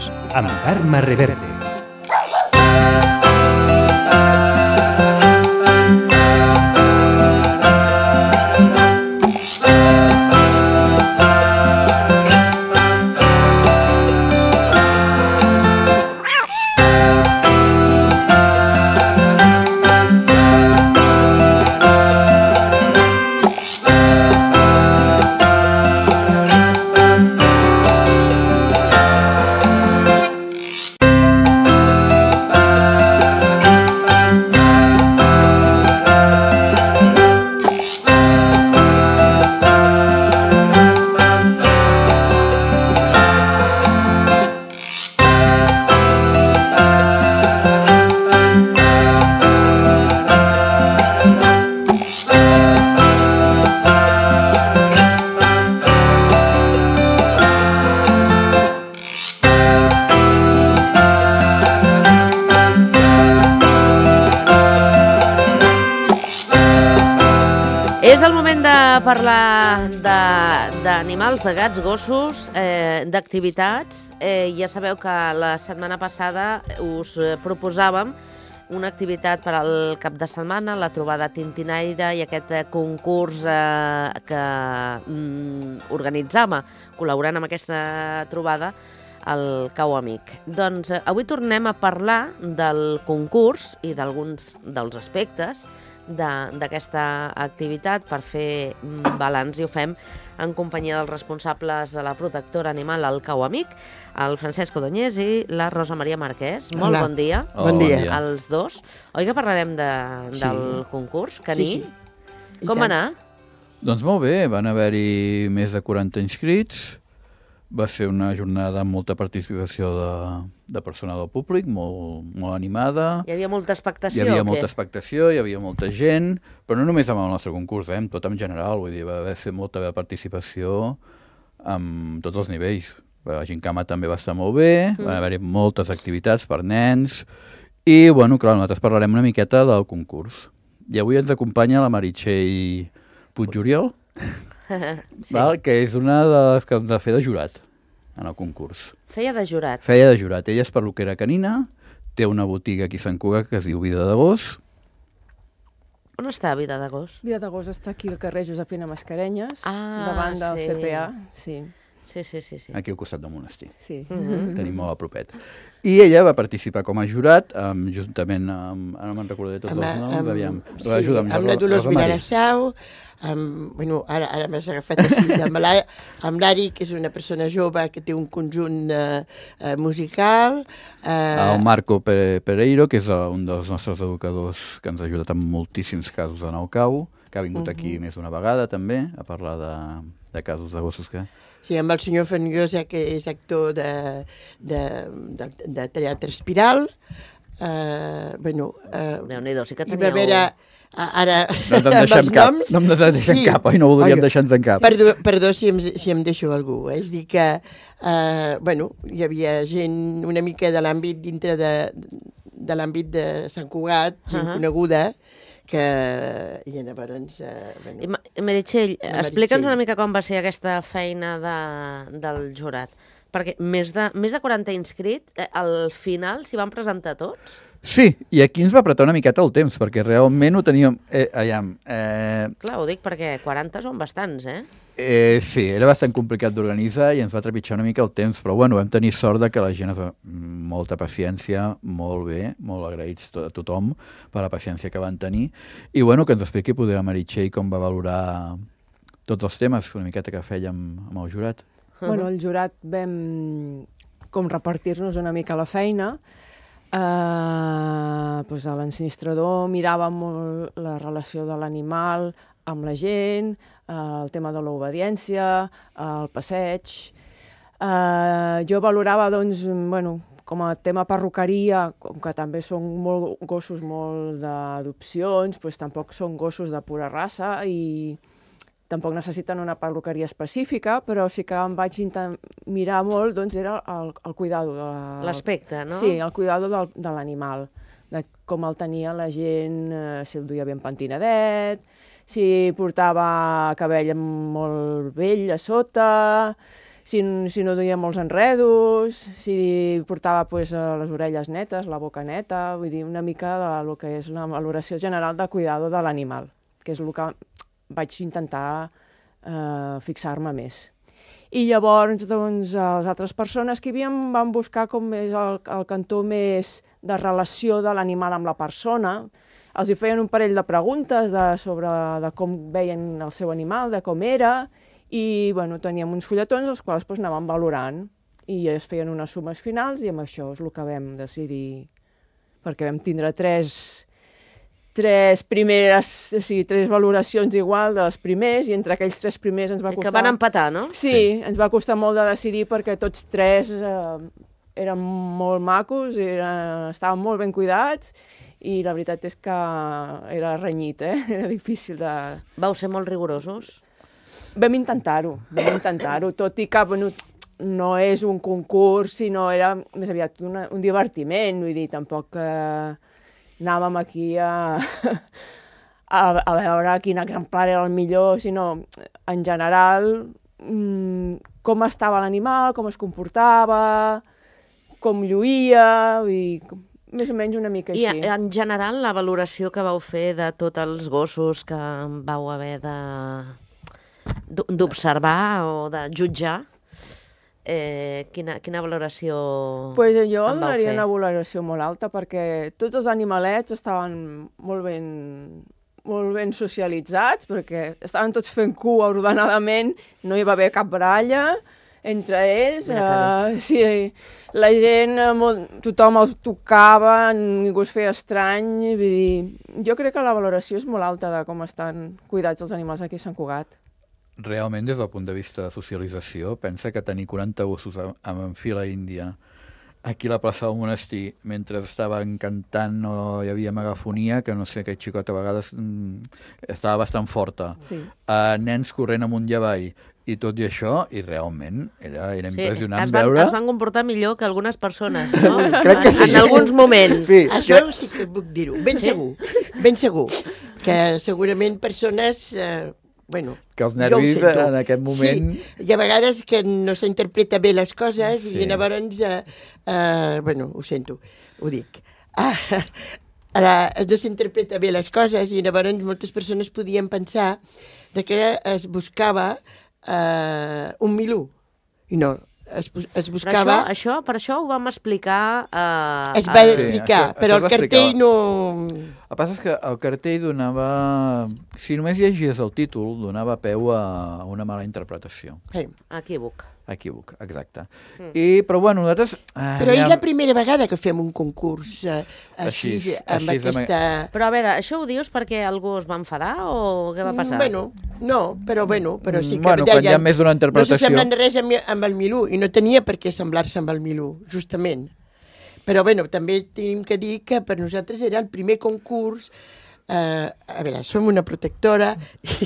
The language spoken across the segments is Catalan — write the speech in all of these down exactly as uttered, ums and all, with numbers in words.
gossos, amb Carme Reverte. És el moment de parlar d'animals, de, de gats, gossos, eh, d'activitats. Eh, ja sabeu que la setmana passada us proposàvem una activitat per al cap de setmana, la trobada tintinaire i aquest eh, concurs eh, que mm, organitzava, col·laborant amb aquesta trobada, el Cau Amic. Doncs eh, avui tornem a parlar del concurs i d'alguns dels aspectes d'aquesta activitat per fer balanç, i ho fem en companyia dels responsables de la protectora animal, el Cau Amic, el Francesc Odoñés i la Rosa Maria Marquès. Molt Hola. bon dia. Oh, bon dia. Als dos. Oi que parlarem de, Sí. del concurs, Caní? Sí, sí. Com I tant. anar? Doncs molt bé, van haver-hi més de quaranta inscrits, va ser una jornada amb molta participació de, de personal del públic, molt, molt animada. Hi havia molta Hi expectació havia o molta què? expectació, hi havia molta gent, però no només amb el nostre concurs, eh, amb tot en general, vull dir, va haver ser molta participació amb tots els nivells. La Gincama també va estar molt bé, Mm. van haver-hi moltes activitats per nens, i, bueno, clar, nosaltres parlarem una miqueta del concurs. I avui ens acompanya la Meritxell Puigoriol, Sí. val? Que és una de les que hem de fer de jurat en el concurs. Feia de jurat. Feia de jurat. Ella és perruquera canina, té una botiga aquí a Sant Cugat que es diu Vida de Gos. On està Vida de Gos? Vida d'Agost està aquí al carrer Josefina Mascarenyes, Ah, davant del sí. C P A. Sí, Sí, sí, sí. sí. Aquí al costat del monestir. sí. Mhm. Tenim molt a propet. I ella va participar com a jurat, amb, juntament amb... Ara no me'n recordaré tots els noms, aviam. sí, Ajuda'm, amb la Ro- Dolors Rosa Maria. Vilassau, amb, bueno, ara, ara m'has agafat així, amb l'Ari, amb l'Ari, que és una persona jove que té un conjunt eh, eh, musical. Eh, El Marco Pere- Pereiro, que és eh, un dels nostres educadors que ens ha ajudat en moltíssims casos de nou cau, que ha vingut aquí més d'una vegada també, a parlar de, de casos de gossos que... sí, amb el senyor Fenyosa, que és actor de, de, de, de teatre espiral. Eh, bueno, eh, Déu-n'hi-do, sí que hi va teníeu... haver... a- Ara, No ens en amb deixem els cap, noms, no em deixem sí. cap, oi? No voldríem Oi, deixar-nos en cap. Perdó, perdó si, em, si em deixo algú. Eh? És dir que, eh, bueno, hi havia gent una mica de l'àmbit dintre de, de l'àmbit de Sant Cugat, gent Ahà. coneguda, que... I llavors... Eh, I bueno, Ma- Meritxell, La explica'ns Meritxell. una mica com va ser aquesta feina de, del jurat. Perquè més de, més de quaranta inscrits, eh, al final s'hi van presentar tots? Sí, i aquí ens va apretar una miqueta el temps, perquè realment ho teníem... Eh, aviam, eh, Clar, ho dic perquè quaranta són bastants, eh? eh, sí, era bastant complicat d'organitzar i ens va trepitjar una mica el temps, però bueno, vam tenir sort de que la gent es va... molta paciència, molt bé, molt agraïts to- a tothom per la paciència que van tenir, i bueno, que ens expliqui poder la Meritxell com va valorar tots els temes, una miqueta que fèiem amb el jurat. Bueno, el jurat vam com repartir-nos una mica la feina. Uh, doncs a l'ensinistrador miràvem molt la relació de l'animal amb la gent, uh, el tema de l'obediència, uh, el passeig. Uh, jo valorava, doncs, bueno, com a tema perruqueria, com que també són molt gossos molt d'adopcions, doncs tampoc són gossos de pura raça i tampoc necessiten una perruqueria específica, però sí que em vaig intent- mirar molt, doncs era el, el cuidado. De, L'aspecte, no? Sí, el cuidado del, de l'animal, de com el tenia la gent, eh, si el duia ben pentinadet, si portava cabell molt vell a sota, si, si no duia molts enredos, si portava pues, les orelles netes, la boca neta, vull dir, una mica del que és la valoració general de cuidado de l'animal, que és el que vaig intentar eh, fixar-me més. I llavors, doncs, les altres persones que hi havia van buscar com més el, el cantó més de relació de l'animal amb la persona. Els hi feien un parell de preguntes de, sobre de com veien el seu animal, de com era, i bueno, teníem uns fulletons els quals doncs, anàvem valorant i es feien unes sumes finals i amb això és el que vam decidir, perquè vam tindre tres, tres primeres, o sigui, tres valoracions igual dels primers i entre aquells tres primers ens va costar... Que van empatar, no? Sí, sí, ens va costar molt de decidir perquè tots tres eh, eren molt macos, eren, estaven molt ben cuidats i la veritat és que era renyit, eh? Era difícil de... Vau ser molt rigorosos? Vam intentar-ho, vam intentar-ho, tot i que bueno, no és un concurs, sinó era més aviat una, un divertiment, vull dir, tampoc eh, anàvem aquí a, a, a veure quin exemplar era el millor, sinó en general mmm, com estava l'animal, com es comportava, com lluïa, vull dir, més o menys una mica així. I en general la valoració que vau fer de tots els gossos que vau haver de... d'observar o de jutjar, eh, quina, quina valoració pues jo en vau donaria fer? Una valoració molt alta perquè tots els animalets estaven molt ben, molt ben socialitzats, perquè estaven tots fent cua ordenadament, no hi va haver cap baralla entre ells. Eh, sí, la gent, molt, tothom els tocava, ningú es feia estrany. Vull dir, jo crec que la valoració és molt alta de com estan cuidats els animals aquí a Sant Cugat. Realment, des del punt de vista de socialització, pensa que tenir quaranta gossos en fila índia aquí a la plaça del monestir, mentre estaven cantant o hi havia megafonia, que no sé, aquest xicot a vegades mm, estava bastant forta. Sí. Uh, nens corrent amunt i avall, i tot i això, i realment era, era impressionant sí, es van, veure... es van comportar millor que algunes persones, no? Crec que sí. En alguns moments. Sí. Això sí que puc dir-ho, ben sí? segur, ben segur, que segurament persones... Eh, Bueno, que els nervis en aquest moment... Sí, i a vegades que no s'interpreta bé les coses sí. i llavors, eh, eh, bueno, ho sento, ho dic. Ah, ara, no s'interpreta bé les coses i llavors moltes persones podien pensar de que es buscava eh, un milú. I no, es, es buscava... Però això, això, per això ho vam explicar... Eh, es va a... explicar, sí, això, però això el cartell no... El que passa és que el cartell donava... Si només llegies el títol, donava peu a una mala interpretació. Sí. Equívoc. Equívoc, exacte. Mm. I, però bueno, nosaltres... Eh, però ja... és la primera vegada que fem un concurs eh, així, així, amb així aquesta... Però a veure, això ho dius perquè algú es va enfadar o què va passar? Bueno, no, però bueno, però sí que... Bueno, quan hi ha més d'una interpretació... No s'assemblen res amb, amb el Milú, i no tenia per què semblar-se amb el Milú, justament. Però bueno, també tenim que dir que per nosaltres era el primer concurs. Uh, a veure, som una protectora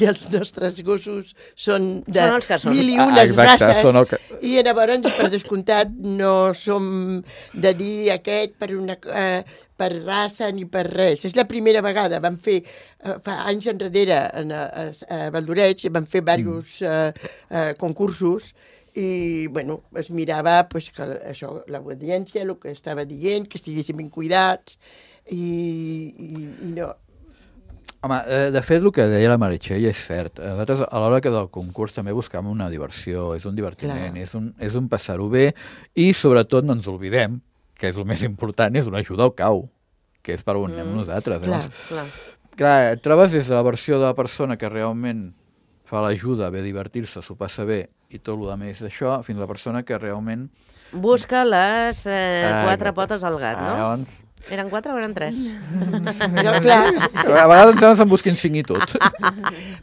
i els nostres gossos són de són mil i unes ah, exacte, races que... i llavors, per descomptat, no som de dir aquest per, una, uh, per raça ni per res. És la primera vegada. Vam fer, uh, fa anys enrere, en, a, a Valdoreig, vam fer diversos uh, uh, concursos i, bueno, es mirava pues, que això, l'audiència, el que estava dient, que estiguéssim ben cuidats i, i, i no... Home, de fet, el que deia la Meritxell és cert. Nosaltres, a l'hora que del concurs també buscam una diversió, és un divertiment, és un, és un passar-ho bé i, sobretot, no ens oblidem, que és el més important, és una ajuda al cau, que és per on anem mm, nosaltres. Clar, eh? clar. Clar, et trobes des de la versió de la persona que realment fa l'ajuda, ve a divertir-se, s'ho passa bé i tot el més d'això, fins a la persona que realment... Busca les eh, ah, quatre potes al gat, no? Ah, llavors... Eren quatre o eren tres? Però, clar... A vegades ens se'n busquin cinc i tot.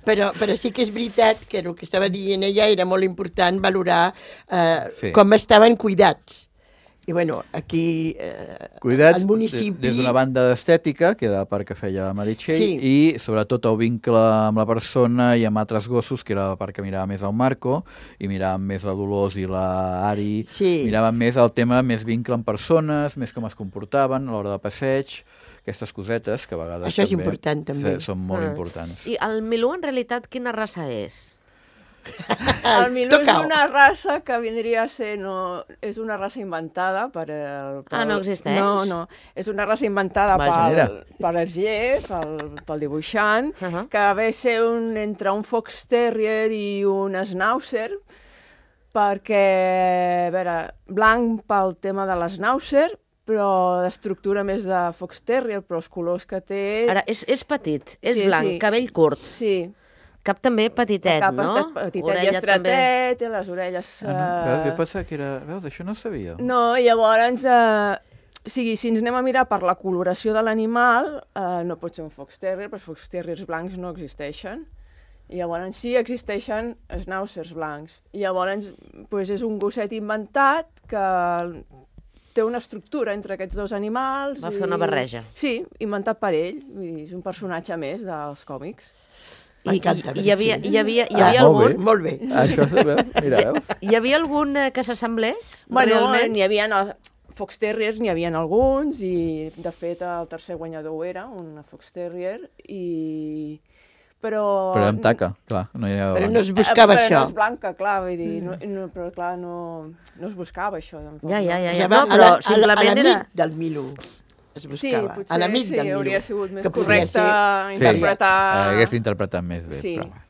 però, però sí que és veritat que el que estava dient ella era molt important valorar eh, sí. com estaven cuidats. I, bueno, aquí eh, Cuidats al municipi... des d'una banda d'estètica, que era la part que feia la Meritxell, sí. i sobretot el vincle amb la persona i amb altres gossos, que era la part que mirava més el Marco, i miràvem més la Dolors i la Ari, sí. miràvem més el tema, més vincle amb persones, més com es comportaven a l'hora de passeig, aquestes cosetes que a vegades Això és també important, també. són molt Ah. importants. I el Milú, en realitat, quina raça és? El Milú és Tocau. una raça que vindria a ser... No, és una raça inventada per... El, pel, Ah, no existeix? No, no. És una raça inventada Vaja. pel, per Hergé, pel, pel dibuixant, Uh -huh. que ve a ser un, entre un Fox Terrier i un Schnauzer, perquè, a veure, blanc pel tema de l'Schnauzer, però d'estructura més de Fox Terrier, però els colors que té... Ara, és, és petit, és Sí, blanc, sí. cabell curt, Sí, cap també petitet, cap no? petitet i Orella estretet, i les orelles... Ah, no? Veus, jo eh, pensava que era... Veus, això no sabia. No, i llavors, eh, o sigui, si ens anem a mirar per la coloració de l'animal, eh, no pot ser un Fox Terrier, però els Fox Terriers blancs no existeixen. I llavors sí existeixen schnauzers blancs. I llavors pues, és un gosset inventat que té una estructura entre aquests dos animals. Va i... fer una barreja. Sí, inventat per ell. Vull dir, és un personatge més dels còmics. I, M'encanta, i, hi havia, sí. hi havia, hi Ah, havia molt bé. algun... Molt bé. Això, veus? Mira, veus? Hi havia algun eh, que s'assemblés, Bueno, realment? n'hi havia... No, Fox Terriers n'hi havia alguns i, de fet, el tercer guanyador ho era, un Fox Terrier, i... Però... Però amb taca, clar. No hi ha... Però no es buscava Eh, però això. no és blanca, clar, vull dir, no, no, però clar, no, no es buscava això. Tampoc, Ja, ja, ja, no? ja. va No, a però la- a la- a simplement l'amic era... del Milú es Sí, buscava. potser a l'amic sí, del Milú. hauria sigut més que podria correcte ser- interpretar... Eh, hagués interpretat més bé, Sí. però...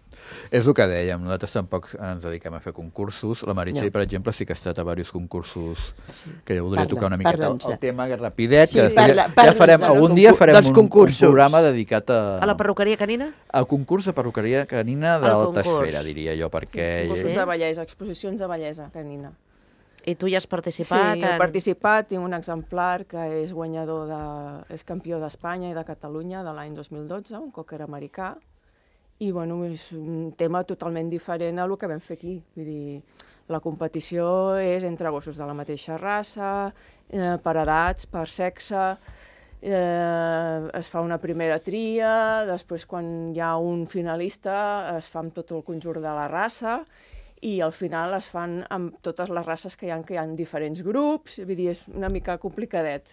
És el que dèiem, nosaltres tampoc ens dediquem a fer concursos. La Meritxell, No. per exemple, sí que ha estat a diversos concursos que jo voldria Parla, tocar una miqueta el, parla'ns. el tema que rapidet, Sí, que després parla- ja parla'ns farem, del algun dia concur- farem dels un, un concursos. programa dedicat a, A la perruqueria canina? al concurs de perruqueria canina Al d'alta concurs. esfera, diria jo, perquè... Concursos Sí. de bellesa, exposicions de bellesa canina. I tu hi has participat? Sí, he en- participat, tinc un exemplar que és guanyador, de, és campió d'Espanya i de Catalunya de l'any dos mil dotze, un cocker americà, i bueno, és un tema totalment diferent a el que vam fer aquí. Vull dir, la competició és entre gossos de la mateixa raça, eh, per edats, per sexe, eh, es fa una primera tria, després quan hi ha un finalista es fa amb tot el conjunt de la raça, i al final es fan amb totes les races que hi ha, que hi ha diferents grups, vull dir, és una mica complicadet.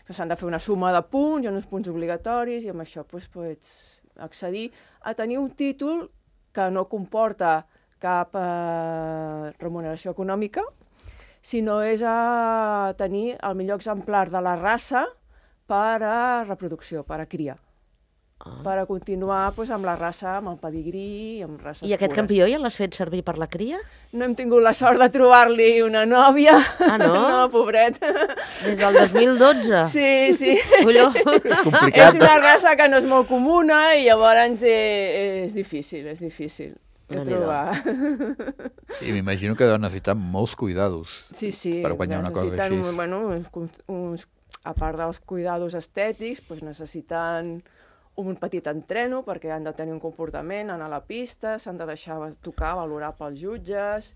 S'han de fer una suma de punts, hi ha uns punts obligatoris, i amb això doncs, pots accedir a tenir un títol que no comporta cap eh, remuneració econòmica, sinó és a tenir el millor exemplar de la raça per a reproducció, per a cria. Ah. Per a continuar doncs, amb la raça, amb el pedigrí, amb races I aquest pures. campió ja l'has fet servir per la cria? No hem tingut la sort de trobar-li una nòvia. Ah, no? No, pobret. Des del dos mil dotze? Sí, sí. Colló. És complicat. una raça que no és molt comuna i llavors eh, és difícil, és difícil de Déu-n'hi-do. trobar. I m'imagino que deuen necessitar molts cuidados Sí, sí. per guanyar una cosa necessiten, així. Bueno, uns, uns, a part dels cuidados estètics, doncs necessiten un petit entreno perquè han de tenir un comportament, anar a la pista, s'han de deixar tocar, valorar pels jutges,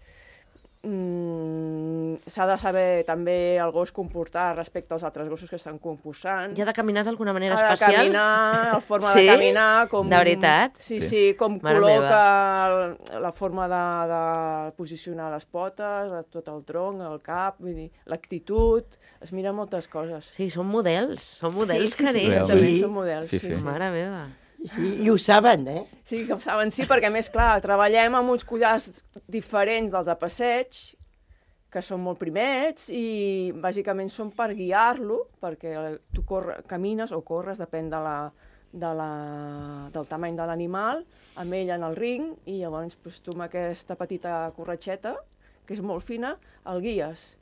mm, s'ha de saber també el gos comportar respecte als altres gossos que estan concursant. I ha de caminar d'alguna manera Ha de especial? caminar, la forma Sí? de caminar... Com, De veritat? Sí, Sí. sí, com Mare col·loca el, la forma de, de posicionar les potes, tot el tronc, el cap, vull dir, l'actitud, es mira moltes coses. Sí, són models, són models sí, sí, sí, canins. Realment. exactament, Sí. són models. Sí, Sí, sí. sí. Mare meva. Sí, i ho saben, eh? Sí, que ho saben, sí, perquè a més, clar, treballem amb uns collars diferents dels de passeig, que són molt primets i bàsicament són per guiar-lo, perquè tu corre, camines o corres, depèn de la, de la, del tamany de l'animal, amb ell en el ring, i llavors doncs, tu amb aquesta petita corretxeta, que és molt fina, el guies.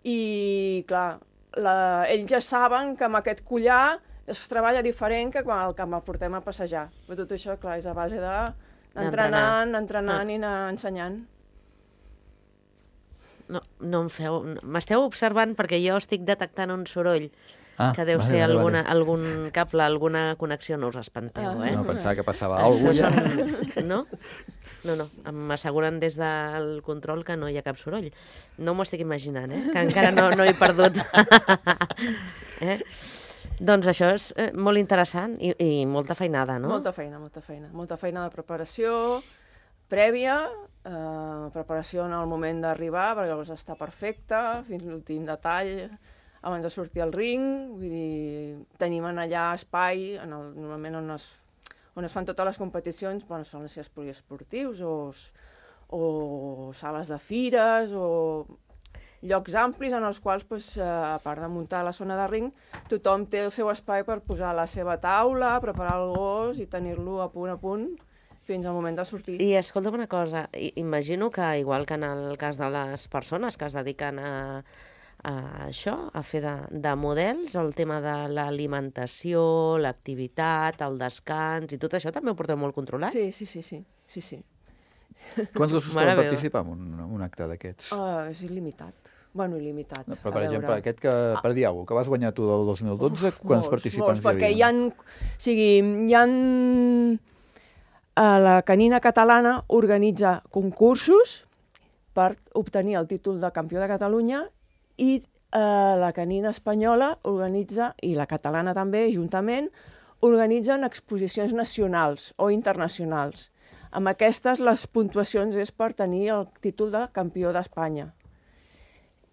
I, clar, la, ells ja saben que amb aquest collar es treballa diferent que quan el, que el portem a passejar. Però tot això, clar, és a base de d'entrenant, entrenant Ah. i anar ensenyant. No, no em feu... M'esteu observant perquè jo estic detectant un soroll Ah, que deu vale, ser vale, alguna, vale. algun cable, alguna connexió, no us espanteu, Ah. eh? No, pensava que passava alguna Això cosa ja. són... No? No, no, m'asseguren des del control que no hi ha cap soroll. No m'ho estic imaginant, eh? Que encara no, no he perdut. eh? Doncs això és eh, molt interessant i, i molta feinada, no? Molta feina, molta feina. Molta feina de preparació prèvia, eh, preparació en el moment d'arribar, perquè llavors està perfecte, fins l'últim detall, abans de sortir al ring. Vull dir, tenim en allà espai, en el, normalment on es, on es fan totes les competicions, bueno, són els poliesportius o, es, o sales de fires, o llocs amplis en els quals, doncs, a part de muntar la zona de ring, tothom té el seu espai per posar la seva taula, preparar el gos i tenir-lo a punt a punt fins al moment de sortir. I escolta'm una cosa, imagino que, igual que en el cas de les persones que es dediquen a, a això, a fer de, de models, el tema de l'alimentació, l'activitat, el descans i tot això també ho porteu molt controlat? Sí, sí, sí, sí. sí, sí. Quants gossos poden participar en un, un acte d'aquests? Uh, és il·limitat. Bueno, il·limitat. No, però, per exemple, aquest que, per dir alguna cosa, que vas guanyar tu del dos mil dotze, Uf, quants molts, participants molts, perquè hi hi havia? ha... O sigui, hi ha... La canina catalana organitza concursos per obtenir el títol de campió de Catalunya i eh, la canina espanyola organitza, i la catalana també, juntament, organitzen exposicions nacionals o internacionals. Amb aquestes, les puntuacions és per tenir el títol de campió d'Espanya.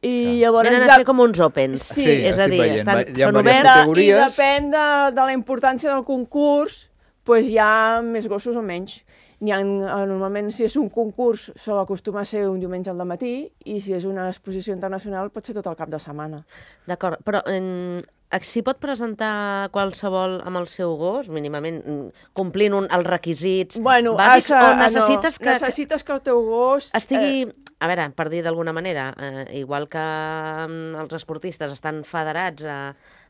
I llavors... Venen a ser com uns opens. Sí, sí és a dir, veient, estan, hi ha són diverses oberts... categories. I depèn de, de la importància del concurs, pues hi ha més gossos o menys. Hi ha, normalment, si és un concurs, sol acostuma a ser un diumenge al matí, i si és una exposició internacional, pot ser tot el cap de setmana. D'acord, però en... s'hi pot presentar qualsevol amb el seu gos, mínimament complint un, els requisits bueno, bàsics, a, o necessites no, que... necessites que el teu gos... estigui... Eh... A veure, per dir d'alguna manera, eh, igual que els esportistes estan federats a,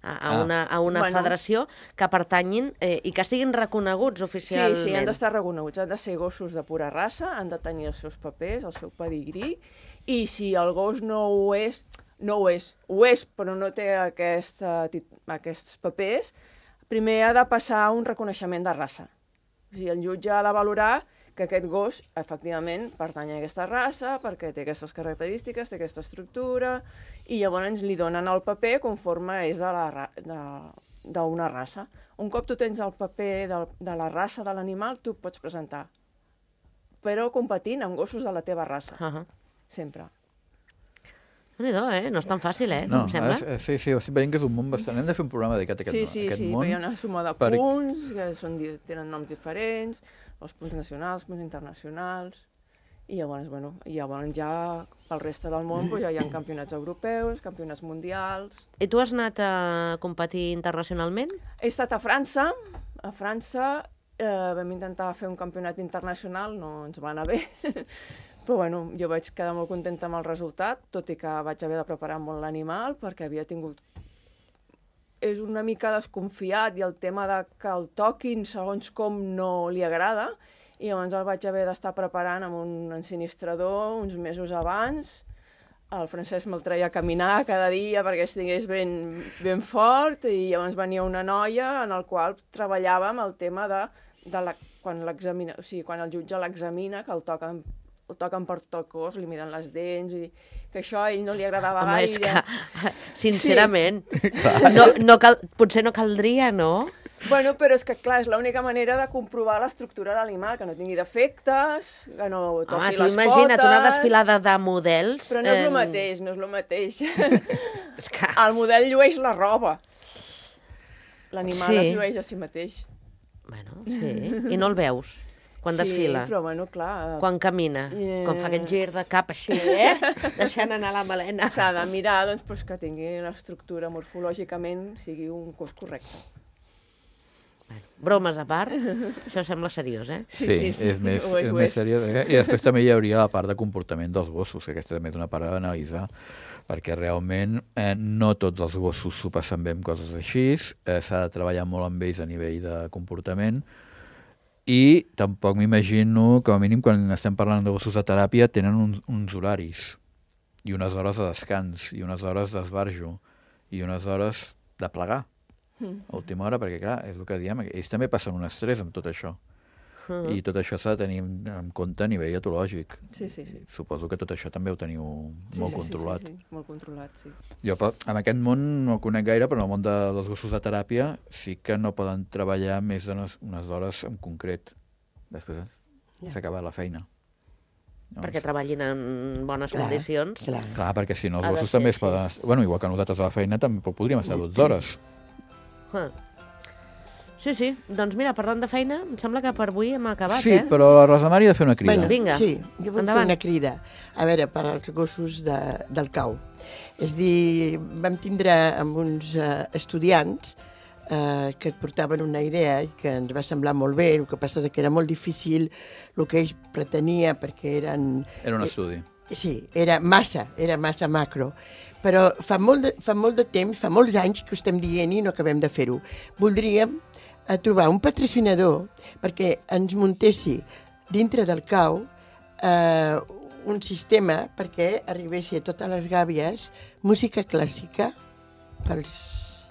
a, a una, a una bueno. federació, que pertanyin eh, i que estiguin reconeguts oficialment. Sí, sí, han d'estar reconeguts. Han de ser gossos de pura raça, han de tenir els seus papers, el seu pedigrí, i si el gos no ho és, no ho és, ho és, però no té aquest, aquests papers, primer ha de passar un reconeixement de raça. O sigui, el jutge ha de valorar que aquest gos, efectivament, pertany a aquesta raça, perquè té aquestes característiques, té aquesta estructura, i llavors li donen el paper conforme és d'una raça. Un cop tu tens el paper de, de la raça de l'animal, tu pots presentar, però competint amb gossos de la teva raça, Uh -huh. sempre. No, eh? No és tan fàcil, eh? No, em sembla. és, sí, sí, estic veient que és un món bastant... Hem de fer un programa dedicat a aquest, Sí, sí, aquest sí, món. hi ha una suma de per... punts, que són, tenen noms diferents, els punts nacionals, punts internacionals, i llavors, bueno, i llavors ja pel reste del món pues, ja hi ha campionats europeus, campionats mundials... I tu has anat a competir internacionalment? He estat a França, a França eh, vam intentar fer un campionat internacional, no ens va anar bé, però bueno, jo vaig quedar molt contenta amb el resultat, tot i que vaig haver de preparar molt l'animal, perquè havia tingut... És una mica desconfiat i el tema de que el toquin segons com no li agrada, i llavors el vaig haver d'estar preparant amb un ensinistrador uns mesos abans. El Francesc me'l treia a caminar cada dia perquè estigués ben, ben fort, i llavors venia una noia en el qual treballàvem el tema de, de la, quan, l'examina, o sigui, quan el jutge l'examina, que el toquen, el toquen per tot el cos, li miren les dents, vull dir, que això a ell no li agradava Home, gaire. és que, sincerament, sí. no, no cal, potser no caldria, no? Bueno, però és que, clar, és l'única manera de comprovar l'estructura de l'animal, que no tingui defectes, que no tossi Home, les tu potes... imagina't una desfilada de models... Però no és el eh, mateix, no és el mateix. És que... El model llueix la roba. L'animal Sí. es llueix a si mateix. Bueno, sí, i no el veus quan sí, desfila, però bueno, clar... quan camina, Yeah. quan fa aquest gir de cap així, eh? Deixant anar la melena. S'ha de mirar, doncs, pues, que tingui una estructura morfològicament, sigui un cos correcte. Bueno, bromes a part, això sembla seriós, eh? Sí, Sí, sí, sí, és més, ho és, és ho més és. seriós. Eh? I després també hi hauria la part de comportament dels gossos, que aquesta també és una part a analitzar, perquè realment eh, no tots els gossos s'ho passen bé amb coses així, eh, s'ha de treballar molt amb ells a nivell de comportament, i tampoc m'imagino, com a mínim, quan estem parlant de gossos de teràpia, tenen uns, uns horaris, i unes hores de descans, i unes hores d'esbarjo, i unes hores de plegar a última hora, perquè clar, és el que diem, ells també passen un estrès amb tot això. Mm. I tot això s'ha de tenir en compte a nivell etològic. Sí, sí, sí. Suposo que tot això també ho teniu Sí, molt sí, controlat. Sí, sí, sí, molt controlat, sí. Jo pa- en aquest món no el conec gaire, però en el món de, dels gossos de teràpia sí que no poden treballar més d'unes unes hores en concret. Després s'ha acabat la feina. Llavors, Perquè treballin en bones Clar, condicions. clar. clar, perquè si no els Ha de gossos ser també es així. poden... Bueno, igual que nosaltres a la feina també podríem estar dotze hores. Ah. Sí, sí. Doncs mira, parlant de feina, em sembla que per avui hem acabat, Sí, eh? però la Rosa Mari ha de fer una crida. Bueno, Vinga, sí, jo vull endavant. fer una crida. A veure, per als gossos de, del cau. És dir, vam tindre amb uns uh, estudiants uh, que et portaven una idea i que ens va semblar molt bé, el que passa és que era molt difícil el que ells pretenia perquè eren... Era un estudi. Sí, era massa, era massa macro. Però fa molt, de, fa molt de temps, fa molts anys que ho estem dient i no acabem de fer-ho. Voldríem a trobar un patrocinador perquè ens muntessi dintre del cau eh, un sistema perquè arribessi a totes les gàbies música clàssica pels,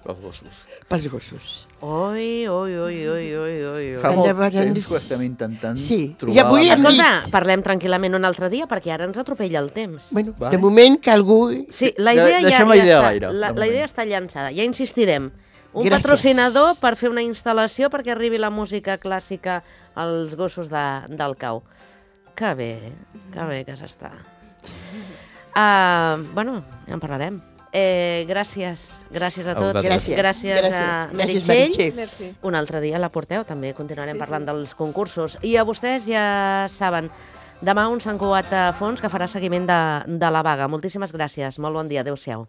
Els gossos. pels gossos. Oi, oi, oi, oi, oi, oi, oi. Fa molt Endavant, temps ens- que ho estem intentant Sí, trobar. i avui la hem manera. Escolta, parlem tranquil·lament un altre dia perquè ara ens atropella el temps. Bueno, Vale. de moment que algú... Sí, la De- idea ja, deixem ja la idea a està, l'aire, la, de la idea moment. està llançada, ja insistirem. Un Gràcies. patrocinador per fer una instal·lació perquè arribi la música clàssica als gossos de, del cau. Que bé, que bé que s'està. Uh, bueno, ja en parlarem. Eh, gràcies, gràcies a A tots. vosaltres. Gràcies. gràcies, Gràcies. a Gràcies, Meritxell. Meritxell. Merci. Un altre dia la porteu, també continuarem sí, parlant sí. dels concursos. I a vostès ja saben, demà un Sant Cugat a fons que farà seguiment de, de la vaga. Moltíssimes gràcies, molt bon dia, adéu-siau.